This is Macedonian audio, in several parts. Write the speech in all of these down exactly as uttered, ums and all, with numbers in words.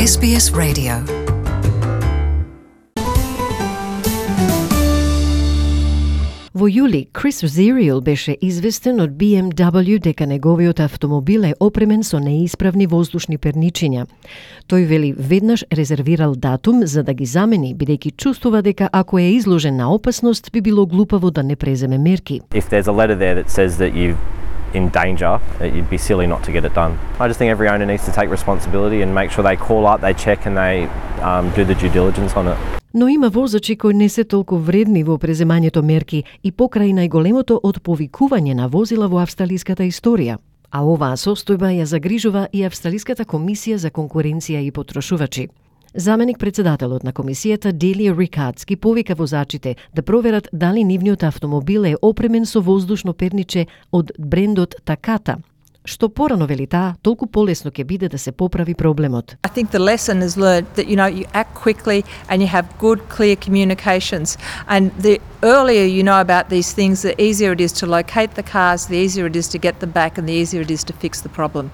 Ес Би Ес Radio. Во јули, Крис Зириел беше известен од Би Ем Дабл Ју дека неговиот автомобил е опремен со неисправни воздушни перничиња. Тој вели веднаш резервирал датум за да ги замени, бидејќи чувствува дека ако е изложен на опасност, би било глупаво да не преземе мерки. If there's a letter there that says that you're in danger, you'd be silly not to get it done. I just think every owner needs to take responsibility and make sure they call up, they check and they um, do the due diligence on it. Но има возачи кои не се толку вредни во преземањето мерки и покрај најголемото отповикување на возила во австралиската историја. А оваа состојба ја загрижува и Австралиската комисија за конкуренција и потрошувачи. Заменик председателот на комисијата Делија Рикардс ги повика возачите да проверат дали нивниот автомобил е опремен со воздушно перниче од брендот Takata. Што порано вели таа, толку полесно ќе биде да се поправи проблемот. I think the lesson is learned that you know you act quickly and you have good clear communications, and the earlier you know about these things, the easier it is to locate the cars, the easier it is to get them back and the easier it is to fix the problem.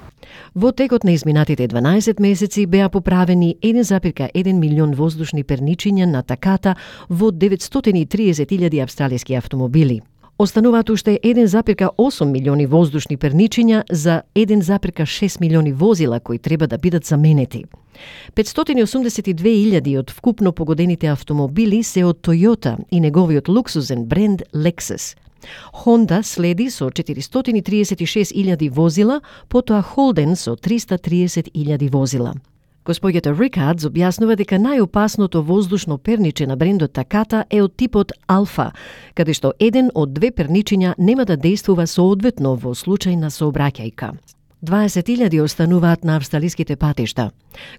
Во текот на изминатите дванаесет месеци беа поправени еден запирка еден милион воздушни перничиња на Takata во деветстотини и триесет илјади австралиски автомобили. Остануваат уште еден запирка осум милиони воздушни перничиња за еден запирка шест милиони возила кои треба да бидат заменети. петстотини и осумдесет и две илјади од вкупно погодените автомобили се од Toyota и неговиот луксузен бренд Lexus. Honda следи со четиристотини и триесет и шест илјади возила, потоа Holden со триста и триесет илјади возила. Господјата Рикардс објаснува дека најопасното воздушно перниче на брендот Takata е од типот Alpha, каде што еден од две перничиња нема да действува соодветно во случај на сообраќајка. дваесет илјади остануваат на австралиските патишта.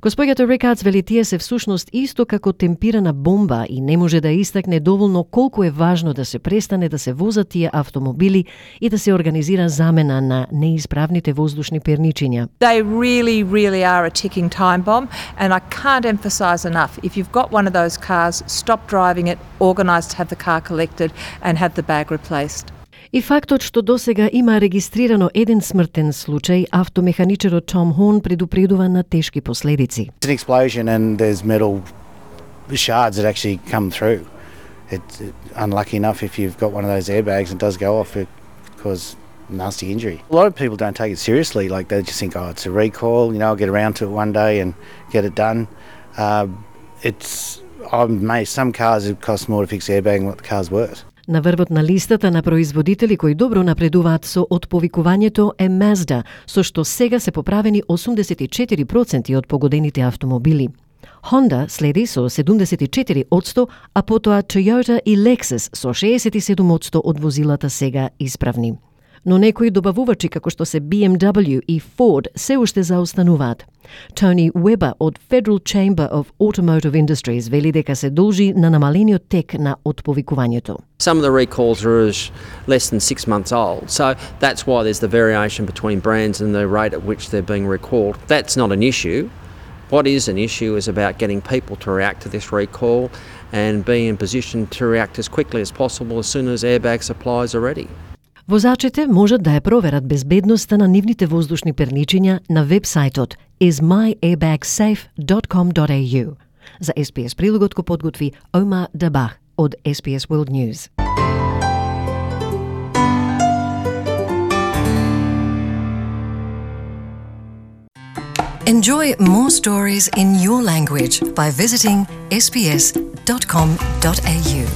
Господјата Рикардс вели тие се всушност исто како темпирана бомба и не може да истакне доволно колку е важно да се престане да се возат тие автомобили и да се организира замена на неисправните воздушни перничиња. They really, really are a ticking time bomb, and I can't emphasise enough, if you've got one of those cars, stop driving it, organise to have the car collected and have the bag replaced. И фактот што досега има регистрирано еден смртен случај, автомеханичарот Том Хорн предупредува на тешки последици. It's an explosion and there's metal shards that actually come through. It's unlucky enough if you've got one of those airbags and it does go off, it cause nasty injury. A lot of people don't take it seriously, like they just think, oh, it's a recall, you know, I'll get around to it one day and get it done. Uh, it's, I'm amazed, some cars it costs more to fix the airbag than what the car's worth. На врвот на листата на производители кои добро напредуваат со отповикувањето е Mazda, со што сега се поправени осумдесет и четири проценти од погодените автомобили. Honda следи со седумдесет и четири одсто, а потоа Toyota и Lexus со шеесет и седум одсто од возилата сега исправни. Но некои добавувачи како што се Би Ем Дабл Ју и Ford се уште заостануваат. Тони Уебер од Federal Chamber of Automotive Industries вели дека се должи на намалениот тек на отповикувањето. Some of the recalls are as less than six months old, so that's why there's the variation between brands and the rate at which they're being recalled. That's not an issue. What is an issue is about getting people to react to this recall and being in position to react as quickly as possible as soon as airbag supplies are ready. Возачите можат да ја проверат безбедноста на нивните воздушни перничиња на вебсајтот is my airbag safe dot com dot a u. За Ес Би Ес прилогот го подготви Омар Дабах од Ес Би Ес World News. Enjoy more stories in your language by visiting s b s dot com dot a u.